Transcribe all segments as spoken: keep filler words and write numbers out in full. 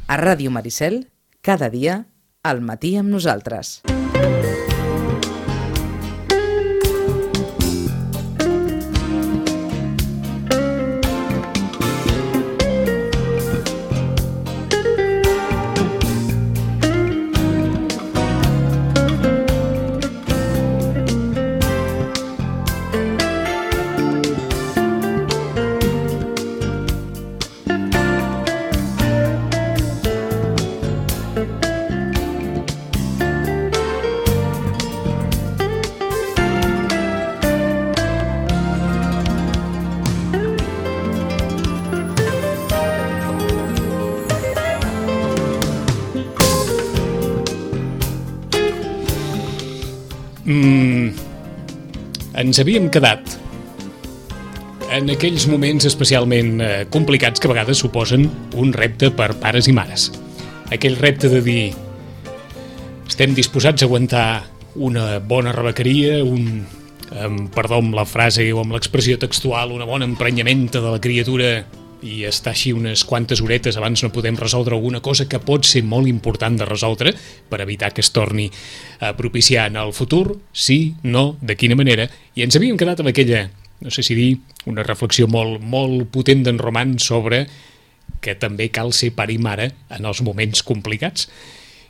A Ràdio Maricel, cada dia, al matí amb nosaltres. Mm, ens havíem quedat en aquells moments especialment eh, complicats que a vegades suposen un repte per pares i mares. Aquell repte de dir estem disposats a aguantar una bona rebequeria, un, amb, perdó amb la frase o amb l'expressió textual, una bona emprenyamenta de la criatura i estar així unes quantes horetes abans no podem resoldre alguna cosa que pot ser molt important de resoldre per evitar que es torni a propiciar en el futur, sí, no, de quina manera. I ens havíem quedat amb aquella, no sé si dir, una reflexió molt, molt potent d'en Roman sobre que també cal ser pare i mare en els moments complicats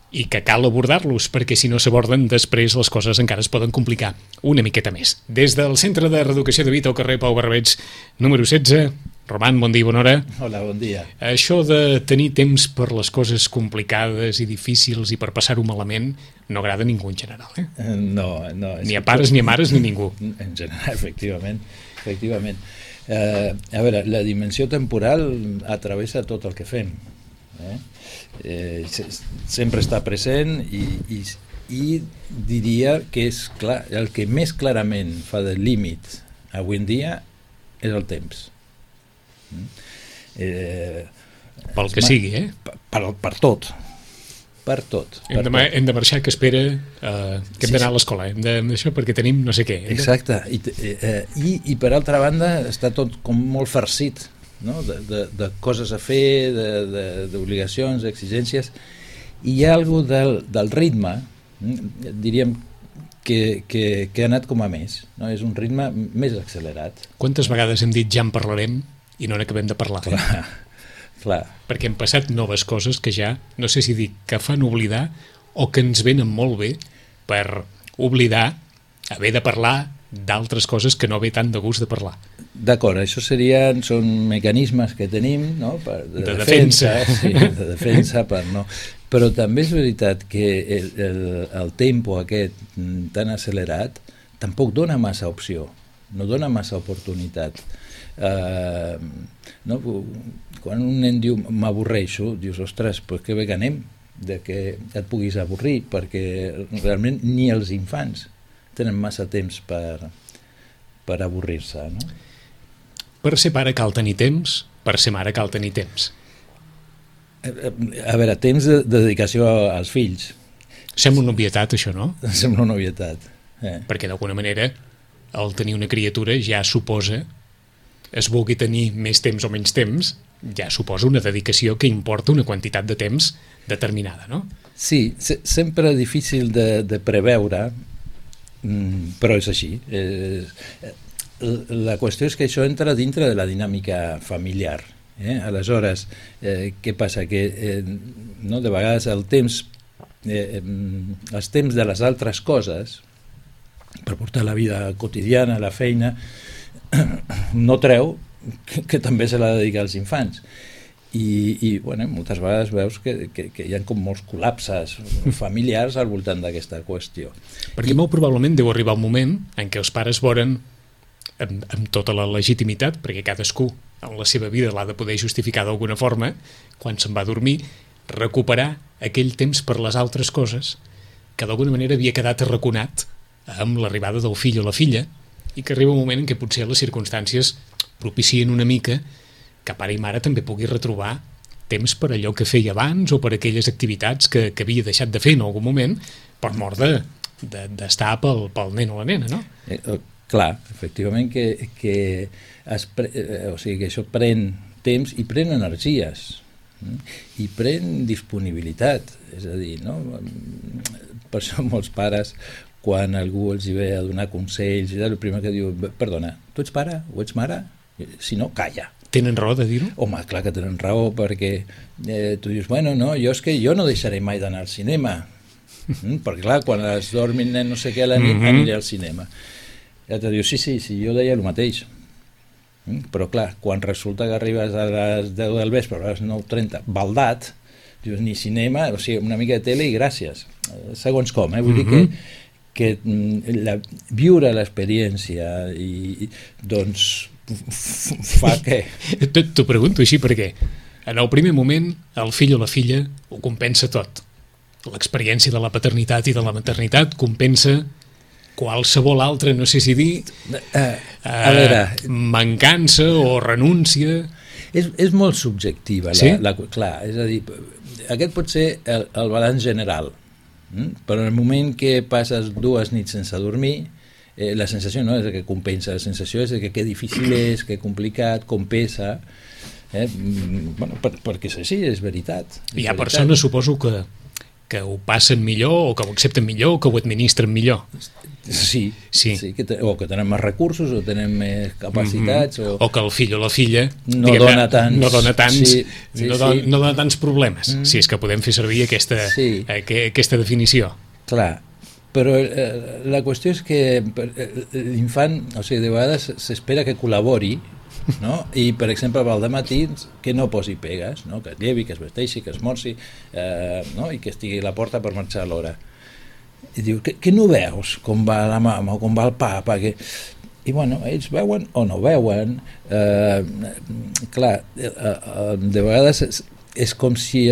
i que cal abordar-los, perquè si no s'aborden després les coses encara es poden complicar una miqueta més. Des del Centre de Reeducació de Vita al carrer Pau Barbets, número setze, Roman, bon dia, bona hora. Hola, bon dia. Això de tenir temps per les coses complicades i difícils i per passar-ho malament no agrada a ningú en general, eh? No, no. Ni a pares, ni a mares, ni a ningú. En general, efectivament. efectivament. Eh, a veure, la dimensió temporal atravessa tot el que fem. Eh? Eh, sempre està present i, i, i diria que és clar, el que més clarament fa de límit avui en dia és el temps. Eh, Pel que sigui, eh? Per, per, per tot. Per tot. Hem, per de, tot. hem de marxar, que espera eh, que hem Sí, d'anar a sí. l'escola. Hem d'això perquè tenim no sé què. Hem de... Exacte. I, eh, i, I per altra banda està tot com molt farcit, no? de, de, de coses a fer, d'obligacions, d'exigències. I hi ha alguna cosa del, del ritme, diríem, que, que, que ha anat com a més. No? És un ritme més accelerat. Quantes vegades hem dit ja en parlarem i no n'acabem de parlar? Clar, clar. Perquè hem passat noves coses que ja, no sé si dic que fan oblidar o que ens venen molt bé per oblidar haver de parlar d'altres coses que no ve tant de gust de parlar. D'acord, això serien, són mecanismes que tenim, no? Per, de, de defensa, defensa. sí, de defensa per no... Però també és veritat que el, el, el tempo aquest tan accelerat tampoc dona massa opció, no dona massa oportunitat. Uh, no? Quan un nen diu m'avorreixo, dius, ostres, pues que bé que anem de que et puguis avorrir, perquè realment ni els infants tenen massa temps per, per avorrir-se, no? Per ser pare cal tenir temps, per ser mare cal tenir temps. A veure, temps de, de dedicació als fills. Sembla una obvietat, això, no? Sembla una obvietat. Eh. Perquè d'alguna manera el tenir una criatura ja suposa, es vulgui tenir més temps o menys temps, ja suposa una dedicació que importa una quantitat de temps determinada, no? Sí, se, sempre difícil de, de preveure, però és així. Eh, la qüestió és que això entra dintre de la dinàmica familiar. Eh? Aleshores, eh, què passa? Que eh, no, de vegades el temps, eh, els temps de les altres coses, per portar la vida quotidiana, la feina, no treu que, que també se l'ha de dedicar als infants. I, i bueno, moltes vegades veus que, que, que hi ha com molts col·lapses familiars al voltant d'aquesta qüestió. Perquè I... molt probablement deu arribar un moment en què els pares volen, amb, amb tota la legitimitat, perquè cadascú en la seva vida l'ha de poder justificar d'alguna forma, quan se'n va a dormir, recuperar aquell temps per les altres coses que d'alguna manera havia quedat arraconat amb l'arribada del fill o la filla, i que arriba un moment en què potser les circumstàncies propicien una mica que pare i mare també pugui retrobar temps per allò que feia abans o per aquelles activitats que, que havia deixat de fer en algun moment per mort de, de, d'estar pel, pel nen o la nena, no? Eh, eh, clar, efectivament que, que, es pre, eh, o sigui, que això pren temps i pren energies. i pren disponibilitat, és a dir, no? Per això molts pares, quan algú els hi ve a donar consells, el primer que diu, perdona, tu ets pare o ets mare? Si no, calla. Tenen raó de dir-ho? Home, clar que tenen raó, perquè eh, tu dius, bueno, no, jo és que jo no deixaré mai d'anar al cinema, mm? perquè clar, quan es dormin no sé què a la nit, mm-hmm. aniré al cinema. I l'altre diu, sí, sí, sí, jo deia el mateix. Mm? Però clar, quan resulta que arribes a les deu del vespre, a les nou trenta, baldat, dius, ni cinema, o sigui, una mica de tele i gràcies. Segons com, eh? Vull mm-hmm. dir que que la, viure l'experiència i doncs fa que... T'ho pregunto així perquè en el primer moment el fill o la filla ho compensa tot. L'experiència de la paternitat i de la maternitat compensa qualsevol altra, no sé si dir, uh, a veure, mancança o renúncia. És, és molt subjectiva. La, sí? la, clar, és a dir, aquest pot ser el, el balanç general. Mm? Però en el moment que passes dues nits sense dormir, eh, la sensació no és que compensa, la sensació és que que difícil és, que complicat, com pesa, eh? bueno, per, perquè és així, és veritat. És Hi ha veritat. persones, suposo, que, que ho passen millor, o que ho accepten millor, o que ho administren millor. Sí, sí. sí que te, o que tenen més recursos, o tenen més capacitats, mm-hmm. o... o que el fill o la filla no dona tants, no dona tants, sí, sí, no, don, sí. no dona tants problemes, mm. si és que podem fer servir aquesta, sí. aqu aquesta definició. Clar, però eh, la qüestió és que l'infant, o sigui, de vegades s'espera que col·labori, no? I per exemple al dematí que no posi pegues, no? Que es llevi, que es vesteixi, que es morci, eh, no? I que estigui a la porta per marxar a l'hora. I diu, que, que no veus com va la mama o com va el papa? Que... I bueno, ells veuen o no veuen. Eh, clar, eh, eh, de vegades és, és com si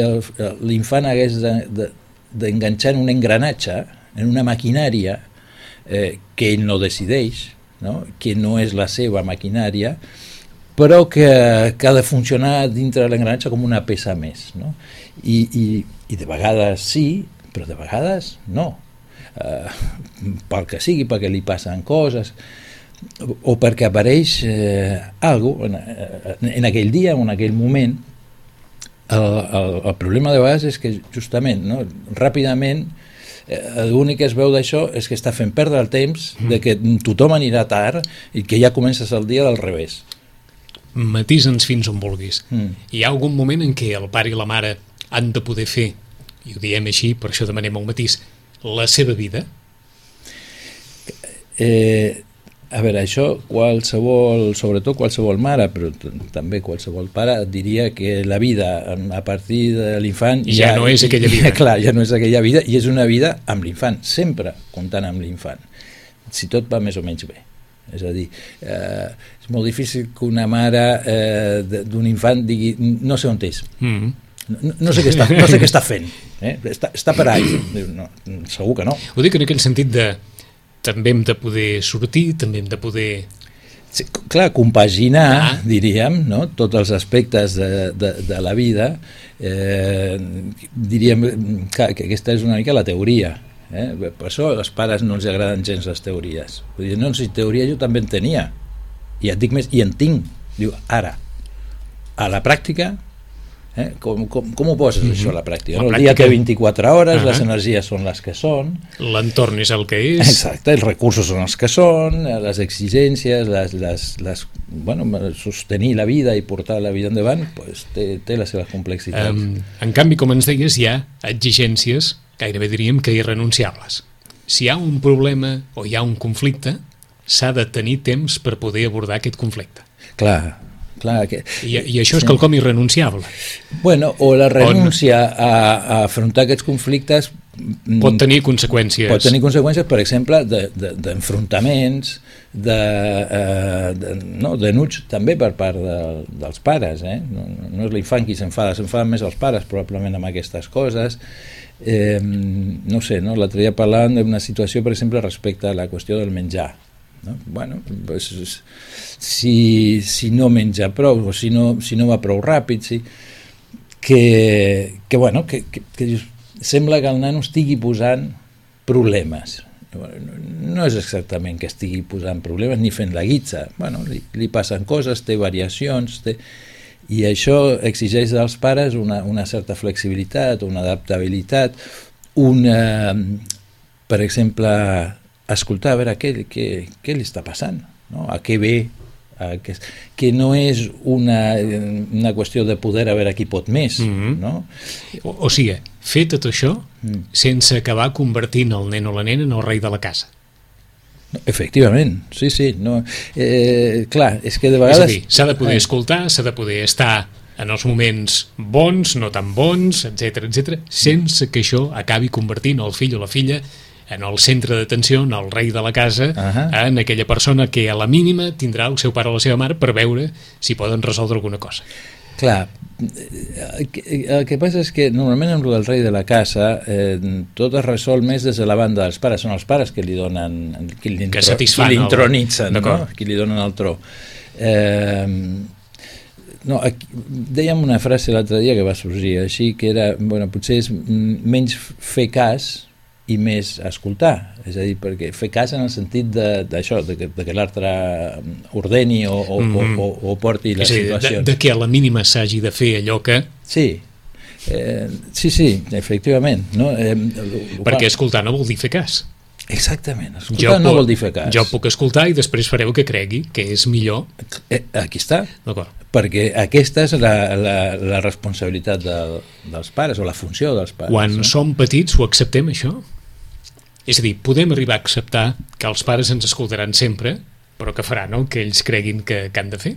l'infant hagués d'enganxar de, de, en un engranatge, en una maquinària eh, que ell no decideix, no? Que no és la seva maquinària, però que, que ha de funcionar dintre de l'engranatge com una peça més, no? I, i, i de vegades sí, però de vegades no. Uh, pel que sigui, perquè li passen coses o, o perquè apareix eh, alguna cosa en, en aquell dia o en aquell moment. El, el, el problema de vegades és que justament, no, ràpidament eh, l'únic que es veu d'això és que està fent perdre el temps, de que tothom anirà tard i que ja comences el dia del revés. Matisa'ns fins on vulguis. Mm. Hi ha algun moment en què el pare i la mare han de poder fer, i ho diem així, per això demanem el matís, la seva vida? Eh, a veure, això qualsevol, sobretot qualsevol mare, però també qualsevol pare, diria que la vida a partir de l'infant ja, ja no és aquella vida. Ja, clar, ja no és aquella vida i és una vida amb l'infant, sempre comptant amb l'infant, si tot va més o menys bé. És a dir, eh, és molt difícil que una mare eh, d'un infant digui no sé on és. Mm-hmm. No, no, sé què està, no sé què està fent, eh? està, està per ahí. No, segur que no. Ho dic en aquell sentit de també hem de poder sortir, també hem de poder... Sí, clar, compaginar, ah. diríem, no? Tots els aspectes de, de, de la vida, eh, diríem que, que aquesta és una mica la teoria. Eh? Per això als pares no els agraden gens les teories. Vull dir, no, si teoria jo també en tenia, i et dic més, i en tinc. Diu, ara, a la pràctica, Eh? Com, com, com ho poses, mm-hmm. això, a la pràctica? La no? El pràctica... dia té vint-i-quatre hores, uh-huh. les energies són les que són. L'entorn és el que és. Exacte, els recursos són els que són, les exigències, les, les, les, bueno, sostenir la vida i portar la vida endavant, pues, té, té les seves complexitats. Um, en canvi, com ens deies, hi ha exigències, gairebé diríem que irrenunciables. Si hi ha un problema o hi ha un conflicte, s'ha de tenir temps per poder abordar aquest conflicte. Clar, Clar, que, I, I això és sí. quelcom irrenunciable. Bueno, o la renúncia On... a, a afrontar aquests conflictes pot tenir conseqüències. Pot tenir conseqüències, per exemple, d'enfrontaments, de, de, eh, de, no, denuts també per part de, dels pares. Eh? No, no és l'infant qui s'enfada, s'enfaden més els pares probablement amb aquestes coses. Eh, no sé, no? L'altre dia parlàvem d'una situació, per exemple, respecte a la qüestió del menjar. No? Bueno, pues, si, si no menja prou o si no, si no va prou ràpid, sí, que, que, bueno, que, que, que sembla que el nano estigui posant problemes. No és exactament que estigui posant problemes ni fent la guitza. Bueno, li, li passen coses, té variacions, té... I això exigeix dels pares una, una certa flexibilitat, una adaptabilitat, una, per exemple, escoltar a veure què, què, què li està passant, no? A què ve, a què, que no és una, una qüestió de poder a veure qui pot més, mm-hmm. no? O, o sigui, fer tot això mm. sense acabar convertint el nen o la nena en el rei de la casa. Efectivament, sí, sí. No, eh, clar, és que de vegades... És a dir, s'ha de poder escoltar, s'ha de poder estar en els moments bons, no tan bons, etcètera, etcètera, sense que això acabi convertint el fill o la filla en el centre d'atenció, en el rei de la casa, uh-huh. en aquella persona que a la mínima tindrà el seu pare o la seva mare per veure si poden resoldre alguna cosa. Clar, el que, el que passa és que normalment amb el rei de la casa eh, tot es resol més des de la banda dels pares, són els pares que li donen, qui l'intronitzen, no? Qui li donen el tro. Eh, no, aquí, dèiem una frase l'altre dia que va sorgir així, que era, bueno, potser és menys fer cas i més escoltar, és a dir, perquè fer cas en el sentit d'això, de, de, de que l'altre ordeni o, o, mm-hmm. o, o porti les situacions. De, de que a la mínima s'hagi de fer allò que... Sí, eh, sí, sí, efectivament. No? Eh, perquè escoltar no vol dir fer cas. Exactament, escoltar jo no puc, vol dir fer cas. Jo puc escoltar i després fareu que cregui que és millor. Eh, aquí està. D'acord. Perquè aquesta és la, la, la responsabilitat de, dels pares, o la funció dels pares. Quan no? som petits ho acceptem, això? És a dir, podem arribar a acceptar que els pares ens escoltaran sempre, però que faran el que ells creguin que, que han de fer?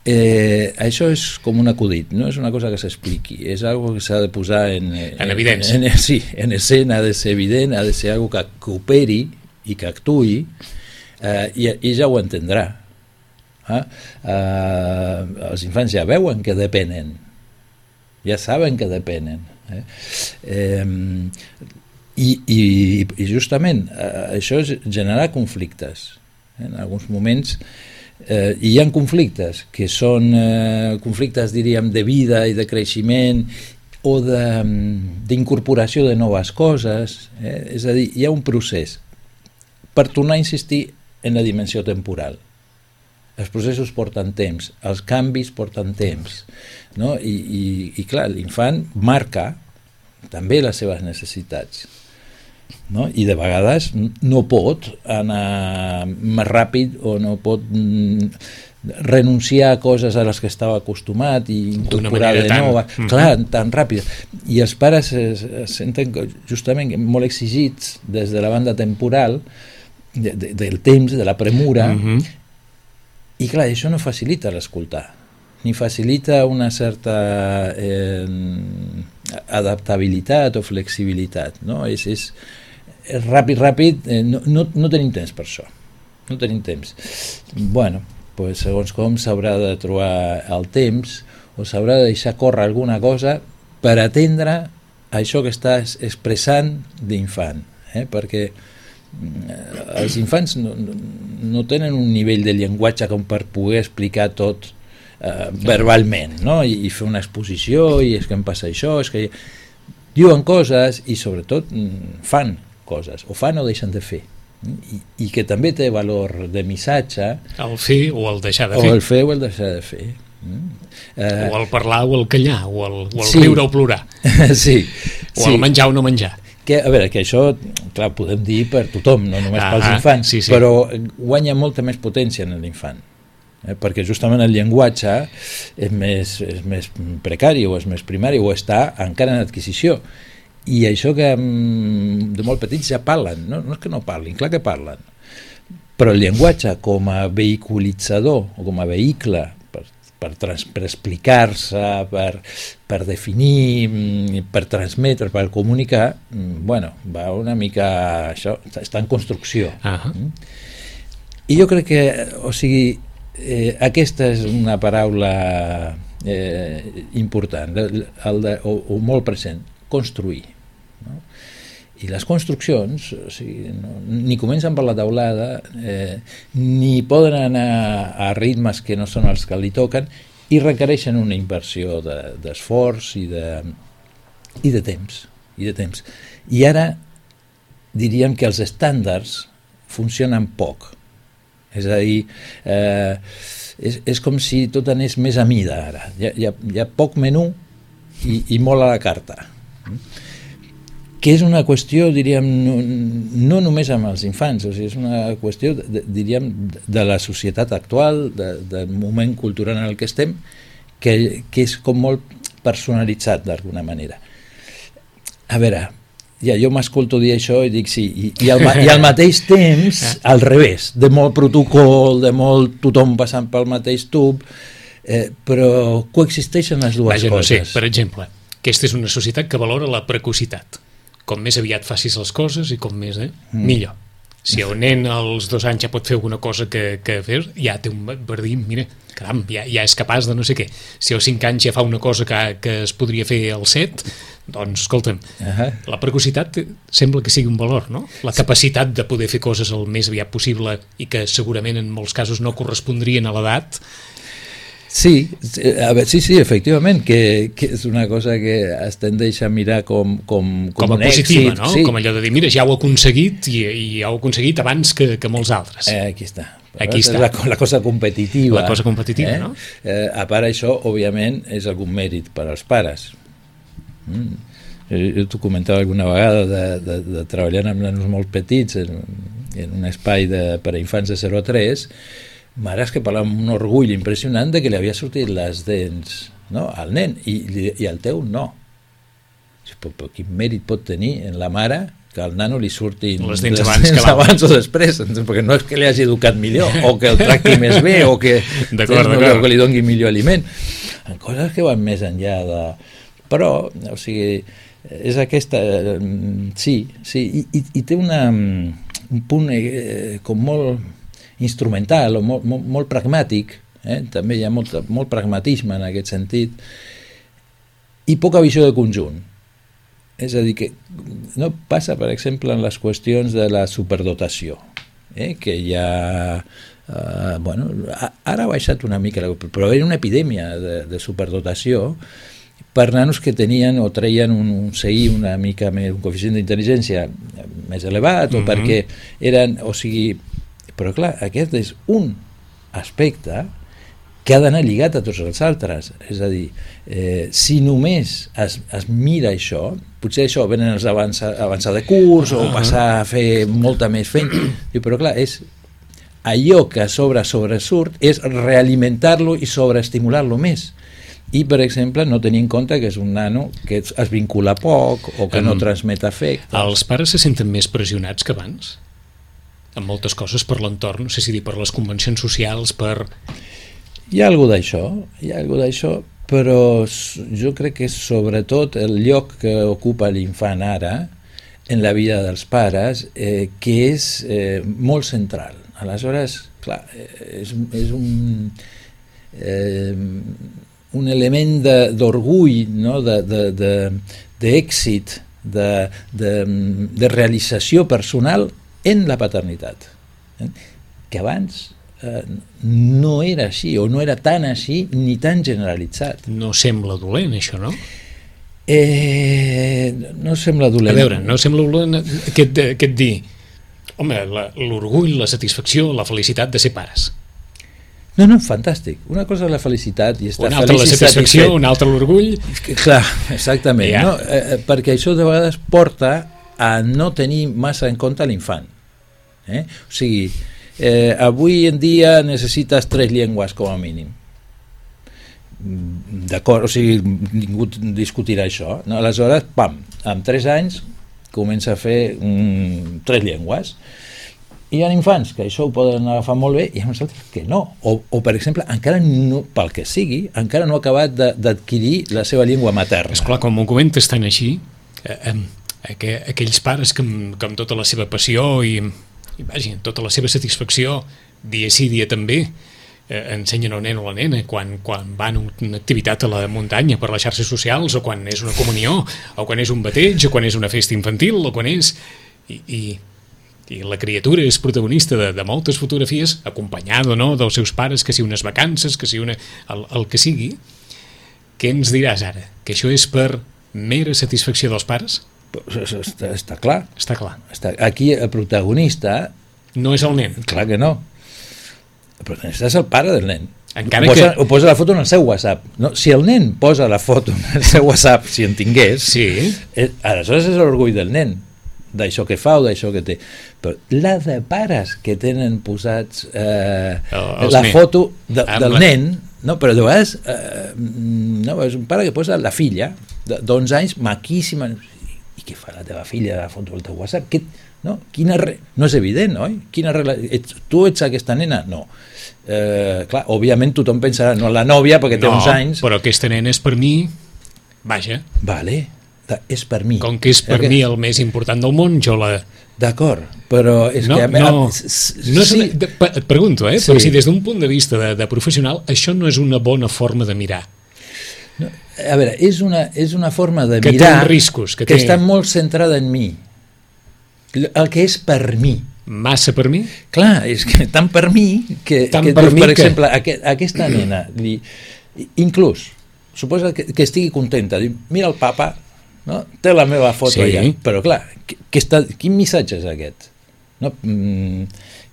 Eh, això és com un acudit, no és una cosa que s'expliqui, és algo que s'ha de posar en, en evidència. En, en, sí, en escena, ha de ser evident, ha de ser algo que cooperi i que actuï, eh, i, i ja ho entendrà. Eh? Eh, els infants ja veuen que depenen, ja saben que depenen. Eh? Eh, i, i, i justament eh, això és generar conflictes. En alguns moments eh, hi ha conflictes que són eh, conflictes, diríem, de vida i de creixement o d'incorporació de, de noves coses, eh? És a dir, hi ha un procés per tornar a insistir en la dimensió temporal. Els processos porten temps, els canvis porten temps, no? I, i, i clar, l'infant marca també les seves necessitats, no? I de vegades no pot anar més ràpid o no pot renunciar a coses a les que estava acostumat i incorporar de nou, tan... clar, tan ràpid. I els pares es, es senten justament molt exigits des de la banda temporal de, de, del temps, de la premura, uh-huh. I clar, això no facilita l'escoltar, ni facilita una certa eh, adaptabilitat o flexibilitat, no? És, és, és ràpid, ràpid, eh, no, no, no tenim temps per això, no tenim temps. Bueno, pues, segons com s'haurà de trobar el temps o s'haurà de deixar córrer alguna cosa per atendre això que estàs expressant d'infant, eh? Perquè els infants no, no tenen un nivell de llenguatge com per poder explicar tot eh, verbalment, no? I, i fer una exposició, i és que em passa això, és que diuen coses i sobretot fan coses, o fan o deixen de fer, i, i que també té valor de missatge, el fer o el deixar de fer, o el fer o el deixar de fer, eh, o el parlar o el callar, o el, o el sí. riure o plorar, sí, o sí. el menjar o no menjar. Que, a veure, que això, clar, podem dir per tothom, no només ah, pels infants, sí, sí. Però guanya molta més potència en l'infant, eh? Perquè justament el llenguatge és més, és més precari o és més primari o està encara en adquisició. I això que de molt petits ja parlen, no, no és que no parlin, clar que parlen, però el llenguatge com a vehiculitzador o com a vehicle per, per, trans, per explicar-se, per, per definir, per transmetre, per comunicar, bueno, va una mica això, està en construcció. Uh-huh. I jo crec que, o sigui, eh, aquesta és una paraula eh, important, el de, o, o molt present, construir. No? I les construccions, o sigui, no, ni comencen per la teulada, eh, ni poden anar a ritmes que no són els que li toquen, i requereixen una inversió de, d'esforç i de, i de temps. I de temps. I ara diríem que els estàndards funcionen poc. És a dir, eh, és, és com si tot anés més a mida ara. Hi ha, hi ha, hi ha poc menú i, i molt a la carta. Que és una qüestió, diríem, no, no només amb els infants, o sigui, és una qüestió, de, diríem, de la societat actual, de, del moment cultural en el que estem, que, que és com molt personalitzat d'alguna manera. A veure, ja jo m'escolto dir això i dic sí, i, i, al, i al mateix temps, al revés, de molt protocol, de molt tothom passant pel mateix tub, eh, però coexisteixen les dues Vaja, coses. No sé, per exemple, aquesta és una societat que valora la precocitat. Com més aviat facis les coses i com més, eh, mm. millor. Si el nen als dos anys ja pot fer alguna cosa que, que fer, ja té un verdi, mira, caram, ja, ja és capaç de no sé què. Si als cinc anys ja fa una cosa que, que es podria fer als set, doncs, escolta'm, uh-huh. la precocitat sembla que sigui un valor, no? La capacitat de poder fer coses el més aviat possible i que segurament en molts casos no correspondrien a l'edat. Sí, a veure, sí, sí, efectivament, que, que és una cosa que es tendeix a mirar com, com, com, com a un positiva, èxit, no? Sí. Com allò de dir, mira, ja ho he aconseguit i, i ja ho he aconseguit abans que, que molts altres. Eh, aquí està. Aquí està. La, la cosa competitiva. La cosa competitiva, eh? no? Eh, a part això, òbviament, és algun mèrit per als pares. Mm. Jo t'ho comentava alguna vegada de, de, de treballar amb nanos molt petits en, en un espai de, per a infants de zero a tres, mares que parlaven amb un orgull impressionant de que li havia sortit les dents, no? Al nen, i, i al teu no. Però, però quin mèrit pot tenir en la mare que al nano li surtin les dents, les abans, dents que abans o després, perquè no és que li hagi educat millor o que el tracti més bé o que, d'acord, no, d'acord. que li doni millor aliment, en coses que van més enllà de... Però, o sigui, és aquesta... Sí, sí, i, i, i té una, un punt eh, com molt instrumental o molt, molt, molt pragmàtic, eh? També hi ha molt, molt pragmatisme en aquest sentit, i poca visió de conjunt. És a dir, que no passa, per exemple, en les qüestions de la superdotació, eh? Que hi ha... Eh, bueno, ara ha baixat una mica, però era una epidèmia de, de superdotació per nanos que tenien o treien un, un C I una mica més, un coeficient d'intel·ligència més elevat, o mm-hmm. perquè eren, o sigui... Però clar, aquest és un aspecte que ha d'anar lligat a tots els altres. És a dir, eh, si només es, es mira això, potser això venen els avançar avançar de curs o passar a fer molta més feina, però clar, és allò que a sobre sobresurt és realimentar-lo i sobreestimular-lo més. I, per exemple, no tenir en compte que és un nano que es vincula poc o que um, no transmet afecte. Els pares se senten més pressionats que abans? En moltes coses per l'entorn, no sé si dir per les convencions socials, per... Hi ha alguna d'això, hi ha alguna d'això, però jo crec que és sobretot el lloc que ocupa l'infant ara en la vida dels pares, eh, que és eh, molt central. Aleshores, clar, és, és un, eh, un element d'orgull, no? de, de, de, d'èxit, de, de, de realització personal en la paternitat, eh? Que abans eh, no era així, o no era tan així ni tan generalitzat. No sembla dolent, això, no? Eh, no sembla dolent. A veure, no sembla dolent aquest, aquest dir, home, l'orgull, la satisfacció, la felicitat de ser pares. No, no, fantàstic. Una cosa és la felicitat i estar una altra feliç la satisfacció, satisfet. Una altra l'orgull. Clar, exactament. Ja. No? Eh, perquè això de vegades porta a no tenir massa en compte l'infant. Eh? O sigui, eh, avui en dia necessites tres llengües com a mínim. D'acord, o sigui, ningú discutirà això. No? Aleshores, pam, amb tres anys comença a fer mm, tres llengües. Hi ha infants que això ho poden agafar molt bé i hi ha uns altres que no. O, o per exemple, encara no, pel que sigui, encara no ha acabat d'adquirir la seva llengua materna. Esclar, com ho comentes tan així, eh, eh, aqu aquells pares que amb, que amb tota la seva passió i, i vaja, tota la seva satisfacció, dia sí, dia també, eh, ensenyen al nen o la nena quan, quan van a una activitat a la muntanya per les xarxes socials, o quan és una comunió, o quan és un bateig, o quan és una festa infantil, o quan és... I, i, i la criatura és protagonista de, de moltes fotografies, acompanyada o no dels seus pares, que si unes vacances, que si una... el, el que sigui. Què ens diràs ara? Que això és per mera satisfacció dels pares? Està, està clar. Està clar. Està, aquí el protagonista... No és el nen. Clar que no. Però és el pare del nen. Encara ho, posa, que... ho posa la foto en el seu WhatsApp. No, si el nen posa la foto en el seu WhatsApp, si en tingués, sí. eh, aleshores és l'orgull del nen, d'això que fa o d'això que té. Però la de pares que tenen posats eh, el, la nen. foto de, del la... nen, no, però de vegades eh, no, és un pare que posa la filla d'onze anys, maquíssima, i què fa la teva filla la foto del teu WhatsApp? Que, no? Quina re... no és evident, oi? Quina rela... ets, tu ets aquesta nena? No. Eh, clar, òbviament tothom pensarà no la nòvia perquè té no, uns anys, però aquesta nena és per mi, vaja, vale, és per mi, com que és per que... mi el més important del món, jo la... D'acord, però és no, que... No, no és sí. una, et pregunto, eh? Sí. Però si des d'un punt de vista de, de professional això no és una bona forma de mirar. No, a veure, és una, és una forma de que mirar té riscos, que, que té... està molt centrada en mi, el que és per mi. Massa per mi? Clar, és que tant per mi que, tant que per, mi per que... exemple, aquest, aquesta nena li, inclús, suposa que, que estigui contenta, diu, mira el papa, no? Té la meva foto sí. allà, però clar, que, que està, quin missatge és aquest? No? Mm,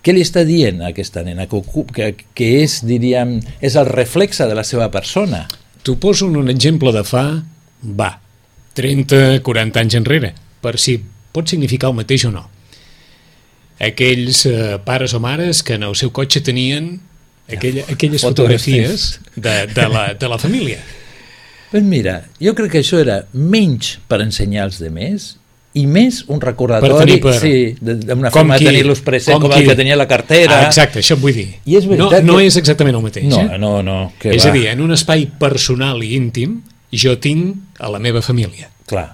què li està dient a aquesta nena? Que, que, que és, diríem, és el reflexe de la seva persona. T'ho poso un exemple de fa, va, trenta quaranta anys enrere, per si pot significar el mateix o no. Aquells eh, pares o mares que en el seu cotxe tenien aquella, aquelles fotografies de, de, la, de la família. Pues mira, jo crec que això era menys per ensenyar als demés i més un recordatori per, sí, d'una forma de tenir-los present com, com el que tenia la cartera. Ah, exacte, això vull dir. I és no, no que... és exactament el mateix. No, eh? no, no. És va. a dir, en un espai personal i íntim jo tinc a la meva família. Clar.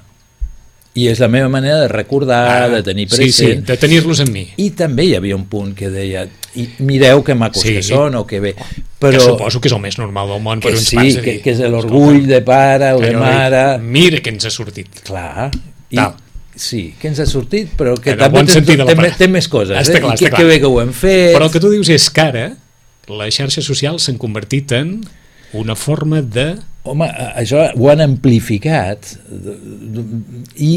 I és la meva manera de recordar, ah, de tenir present. Sí, sí, de tenir-los amb mi. I també hi havia un punt que deia, i mireu que macos sí, que són o que bé. Però, que suposo que és el més normal del món per uns sí, pares. Que, que és l'orgull de pare o de mare. Mira que ens ha sortit. Clar. I, sí, que ens ha sortit, però que en també bon té, té, té, té més coses. Està clar, eh? I que, que bé que ho hem fet. Però el que tu dius és que ara les xarxes socials s'han convertit en una forma de... Home, això ho han amplificat i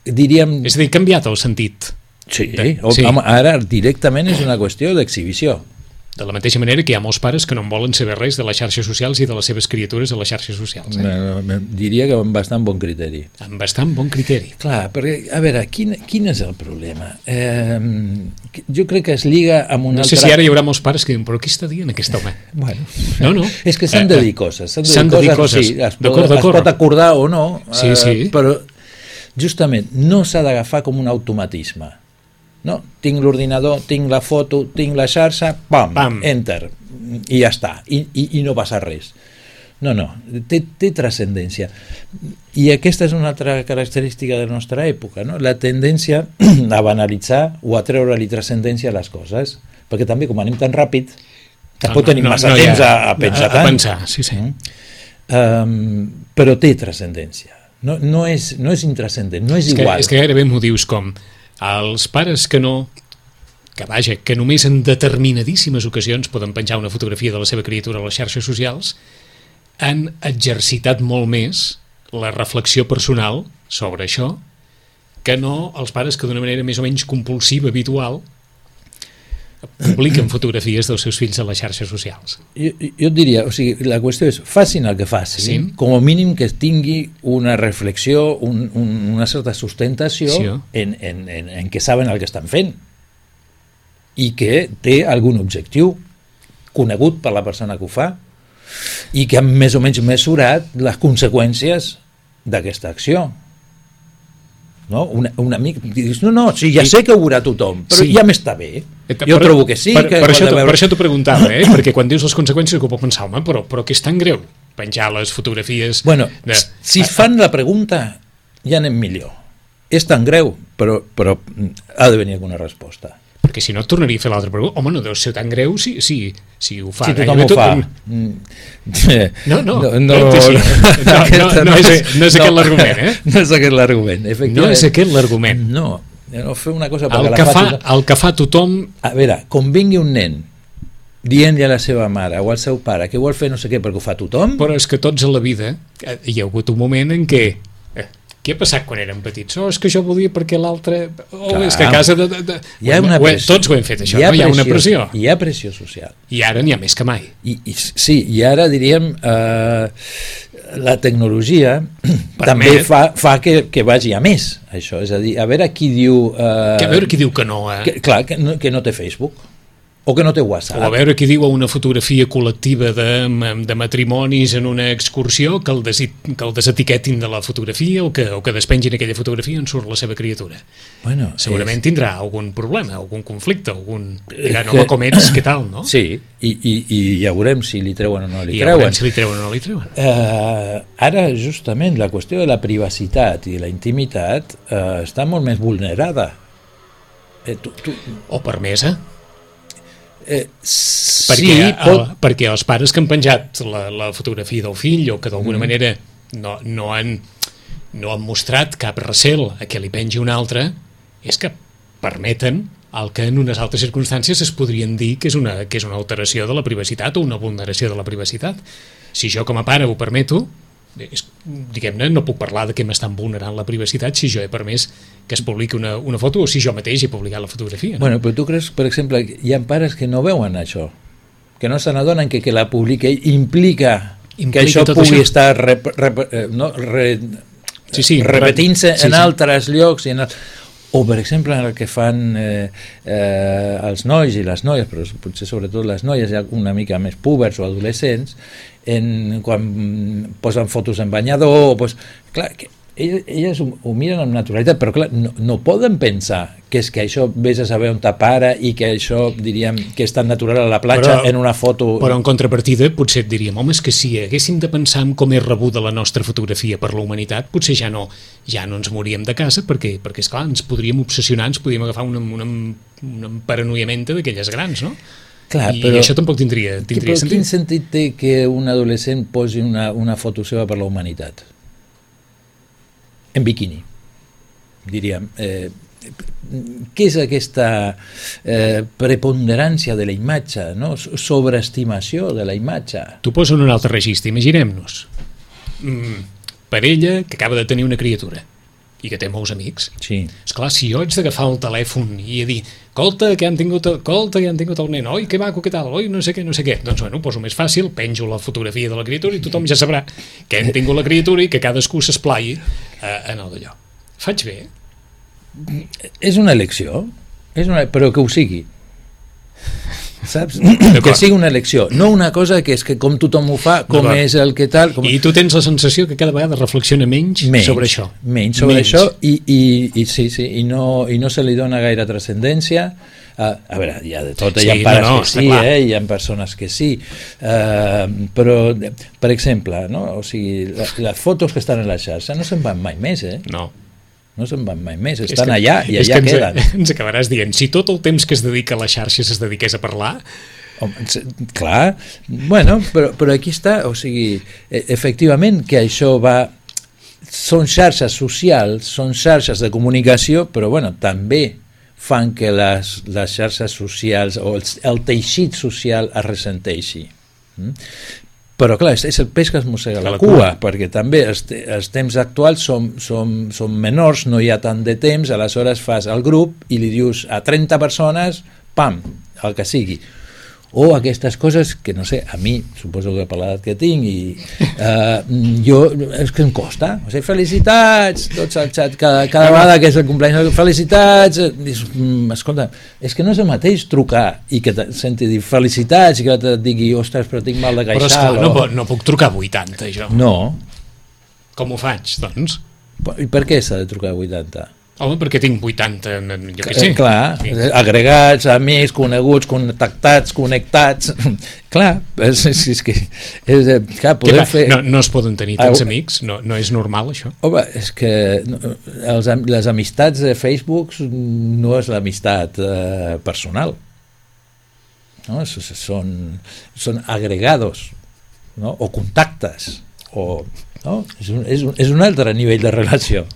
diríem... És a dir, canviat el sentit. Sí, de, sí. Home, ara directament és una qüestió d'exhibició. De la mateixa manera que hi ha molts pares que no en volen saber res de les xarxes socials i de les seves criatures a les xarxes socials. Eh? No, no, diria que amb bastant bon criteri. Amb bastant bon criteri. Clar, perquè, a veure, quin, quin és el problema? Eh, jo crec que es lliga amb un no altre... No sé si ara hi haurà molts pares que diuen, però què està dient aquest home? Bueno, no, no. És que s'han de dir coses. S'han de, s'han dir de dir coses, coses. Sí, es, pot, es pot acordar o no, sí, sí. Eh, però justament no s'ha d'agafar com un automatisme. No? Tinc l'ordinador, tinc la foto, tinc la xarxa, pam, pam. Enter, i ja està, I, i, i no passa res. No, no, té, té transcendència. I aquesta és una altra característica de la nostra època, no? La tendència a banalitzar o a treure-li transcendència a les coses, perquè també com anem tan ràpid, tampoc no, tenim no, massa no, temps ja, a, a pensar a, tant. A pensar, sí, sí. Um, però té transcendència. No, no, és, no és intrascendent, no és, és igual. Que, és que gairebé m'ho dius com els pares que no, que vaja, que només en determinadíssimes ocasions poden penjar una fotografia de la seva criatura a les xarxes socials, han exercitat molt més la reflexió personal sobre això que no els pares que d'una manera més o menys compulsiva, habitual, publiquen fotografies dels seus fills a les xarxes socials. Jo, jo et diria, o sigui, la qüestió és facin el que facin, sí? Com a mínim que tingui una reflexió, un, un, una certa sustentació sí, en, en, en, en què saben el que estan fent i que té algun objectiu conegut per la persona que ho fa i que han més o menys mesurat les conseqüències d'aquesta acció. No? Una, una amic dius, no, no, sí, ja sé que ho veurà tothom, però sí. Ja m'està bé. Jo per, trobo que sí. Per, que per, això, veure... per això t'ho preguntava, eh? Perquè quan dius les conseqüències que puc pensar, home, però, però que és tan greu penjar les fotografies... Bueno, de... si es fan la pregunta, ja anem millor. És tan greu, però, però ha de venir alguna resposta. Perquè si no et tornaria a fer l'altra pregunta. Home, no deu ser tan greu si, si, si ho fa. Si tothom ho tot... fa. No, no, no, no, no, no, no, no és, no és aquest l'argument, eh? No és aquest l'argument, efectivament. No és aquest l'argument. No, no fer una cosa... El que, fa, el que fa tothom... A veure, com vingui un nen dient-li a la seva mare o al seu pare que vol fer no sé què perquè ho fa tothom... Però és que tots a la vida hi ha hagut un moment en què Què ha passat quan érem petits? Oh, és que jo volia perquè l'altre... Oh, Clar. és que a casa... De, de, de... Hi ha una ho he, pressió. Tots ho hem fet, això, hi ha no? Hi ha una pressió, pressió. Hi ha pressió social. I ara n'hi ha més que mai. I, i, sí, i ara diríem... Eh, la tecnologia Permet. també fa, fa que, que vagi a més, això. És a dir, a veure qui diu... Eh, Que a veure qui diu que no, eh? que, clar, que no, que no té Facebook. O que no té WhatsApp. O a veure qui diu a una fotografia col·lectiva de, de matrimonis en una excursió que el, desi, que el desetiquetin de la fotografia o que, o que despengin aquella fotografia on surt la seva criatura. Bueno, segurament és... tindrà algun problema, algun conflicte, algun... Diran, home, com ets, què tal, no? Sí, i, i, i ja veurem si li treuen o no li I ja treuen. veurem si li treuen o no li treuen. Eh, ara, justament, la qüestió de la privacitat i la intimitat eh, està molt més vulnerada. Eh, tu, tu... O permesa. Eh, perquè, sí, el, pot... perquè els pares que han penjat la, la fotografia del fill o que d'alguna mm. manera no, no, han, no han mostrat cap recel a que li pengi un altre, és que permeten el que en unes altres circumstàncies es podrien dir que és una, que és una alteració de la privacitat o una vulneració de la privacitat. Si jo com a pare ho permeto, és, diguem-ne, no puc parlar de que m'estan vulnerant la privacitat si jo he permès que es publiqui una, una foto o si jo mateix he publicat la fotografia. No? Bueno, però tu creus, per exemple, hi ha pares que no veuen això, que no se n'adonen que que la publica implica, implica que això pugui això? estar rep, rep, no, re, sí, sí, repetint-se sí, en sí. altres llocs i en el... o per exemple en el que fan eh, eh, els nois i les noies, però potser sobretot les noies ja una mica més púbers o adolescents, en, quan posen fotos en banyador, pues, clar, que elles, elles ho, ho miren amb naturalitat, però clar, no, no poden pensar que és que això vés a saber on t'apara i que això, diríem, que és tan natural a la platja però, en una foto... Però en contrapartida potser et diríem, home, és que si haguéssim de pensar en com és rebuda la nostra fotografia per la humanitat, potser ja no ja no ens moríem de casa, perquè, perquè esclar, ens podríem obsessionar, ens podríem agafar una, una, una paranoiamenta d'aquelles grans, no? Clar, I però, això tampoc tindria, tindria però sentit. Quin sentit té que un adolescent posi una, una foto seva per la humanitat? En biquini, diríem. Eh, què és aquesta eh, preponderància de la imatge, no? Sobreestimació de la imatge? T'ho poso en un altre registre, imaginem-nos. Mm, parella que acaba de tenir una criatura i que té molts amics. Sí. Esclar, si jo haig d'agafar el telèfon i a dir, colta, que han tingut, colta, que han tingut el nen, oi, que maco, què tal, oi, no sé què, no sé què. Doncs, bueno, ho poso més fàcil, penjo la fotografia de la criatura i tothom ja sabrà que han tingut la criatura i que cadascú s'esplai eh, en el d'allò. Faig bé? És una elecció, és una, però que ho sigui. Saps? Que sigui una elecció, no una cosa que és que com tothom ho fa, com és el que tal... Com... I tu tens la sensació que cada vegada reflexiona menys, menys sobre això. Menys sobre menys. això i, i, i sí, sí, i no, i no se li dona gaire transcendència. Uh, a veure, hi ha de tot, sí, hi ha pares no, no, que sí, eh, hi ha persones que sí, uh, però, per exemple, no? O sigui, la, les fotos que estan en la xarxa no se'n van mai més, eh? No. No se'n van mai més, estan que, allà i allà ens, queden. Ens acabaràs dient, si tot el temps que es dedica a les xarxes es dediqués a parlar... Home, clar, bueno, però, però aquí està, o sigui, efectivament que això va... Són xarxes socials, són xarxes de comunicació, però bueno, també fan que les, les xarxes socials o el, el teixit social es ressenteixi. Mm? Però clar, és el peix que es mossega la, la cua, cua, perquè també els, els temps actuals són, són, són menors, no hi ha tant de temps, aleshores fas el grup i li dius a trenta persones, pam, el que sigui. O aquestes coses que, no sé, a mi, suposo que per l'edat que tinc, i uh, jo, és que em costa. O sigui, felicitats, tots al xat, cada, cada vegada que és el cumpleaños, felicitats, dius, mm, escolta, és que no és el mateix trucar i que te senti dir felicitats i que et digui, ostres, però tinc mal de queixal. Però esclar, o... no, no puc trucar a vuitanta, jo. No. Com ho faig, doncs? I per què s'ha de trucar a vuitanta? Home, perquè tinc vuitanta, jo què sé. Clar, sí. Agregats, amics, coneguts, contactats, connectats. Clar, és, és, és que... És, clar, podem fer... No, no es poden tenir tants amics, no, no és normal, això. Home, és que els, les amistats de Facebook no és l'amistat eh, personal. No? Són, són agregados, no? O contactes. O, no? és, un, és, un, és un altre nivell de relació.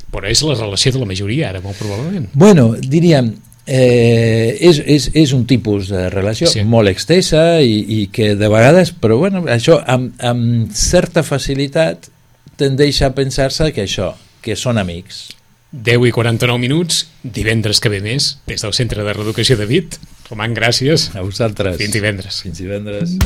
Però és la relació de la majoria ara, molt probablement. Bueno, diríem, eh, és, és, és un tipus de relació sí. molt extensa i, i que de vegades, però bueno, això amb, amb certa facilitat tendeix a pensar-se que això, que són amics. deu i quaranta-nou minuts, divendres que ve més, des del Centre de Reeducació de Vic. Roman, gràcies. A vosaltres. Fins divendres. Fins divendres.